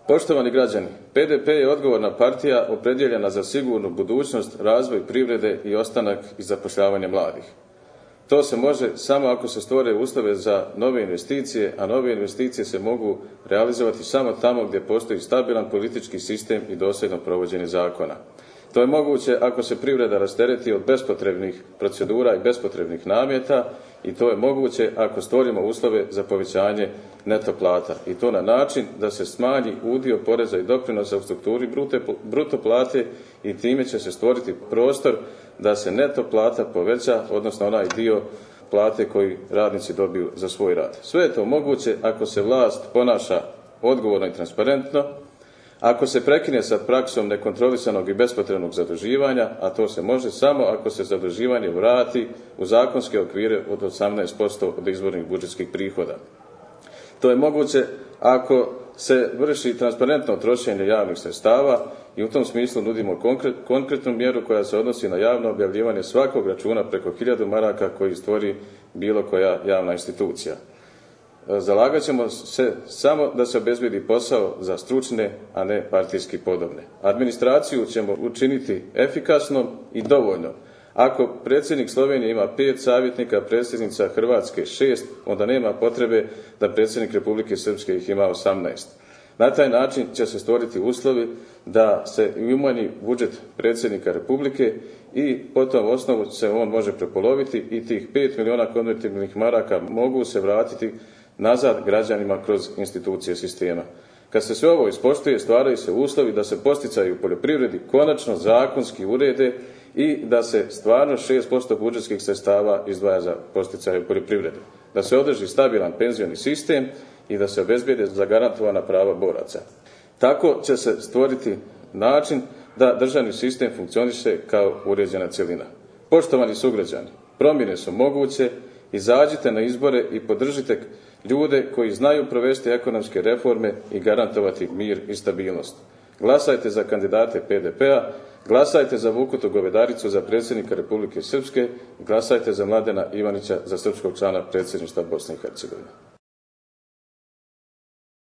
Poštovani građani, PDP je odgovorna partija opredjeljena za sigurnu budućnost, razvoj privrede i ostanak i zapošljavanje mladih. To se može samo ako se stvore uslove za nove investicije, a nove investicije se mogu realizovati samo tamo gdje postoji stabilan politički sistem i dosljedno provođenje zakona. To je moguće ako se privreda rastereti od bespotrebnih procedura i bespotrebnih nameta i to je moguće ako stvorimo uslove za povećanje neto plata i to na način da se smanji udio poreza i doprinosa u strukturi bruto plate i time će se stvoriti prostor da se neto plata poveća, odnosno onaj dio plate koji radnici dobiju za svoj rad. Sve je to moguće ako se vlast ponaša odgovorno i transparentno, ako se prekine sa praksom nekontrolisanog i bespotrebnog zaduživanja, a to se može samo ako se zaduživanje vrati u zakonske okvire od 18% od izvornih budžetskih prihoda. To je moguće ako se vrši transparentno trošenje javnih sredstava i u tom smislu nudimo konkretnu mjeru koja se odnosi na javno objavljivanje svakog računa preko 1000 maraka koji stvori bilo koja javna institucija. Zalagat ćemo se samo da se obezbijedi posao za stručne, a ne partijski podobne. Administraciju ćemo učiniti efikasnom i dovoljno. Ako predsjednik Slovenije ima 5 savjetnika, predsjednica Hrvatske 6, onda nema potrebe da predsjednik Republike Srpske ih ima 18. Na taj način će se stvoriti uslovi da se umanji budžet predsjednika Republike i po tom osnovu se on može prepoloviti i tih 5 miliona konvertibilnih maraka mogu se vratiti nazad građanima kroz institucije sistema. Kad se sve ovo ispoštuje, stvaraju se uslovi da se podsticaji u poljoprivredi konačno zakonski urede i da se stvarno 6% budžetskih sredstava izdvaja za podsticaje u poljoprivredi. Da se održi stabilan penzioni sistem i da se obezbijede zagarantovana prava boraca. Tako će se stvoriti način da državni sistem funkcioniše kao uređena cjelina. Poštovani sugrađani, promjene su moguće, izađite na izbore i podržite ljude koji znaju provesti ekonomske reforme i garantovati mir i stabilnost. Glasajte za kandidate PDP-a, glasajte za Vukutu Govedaricu za predsjednika Republike Srpske, glasajte za Mladena Ivanića za srpskog člana predsjedništva Bosne i Hercegovine.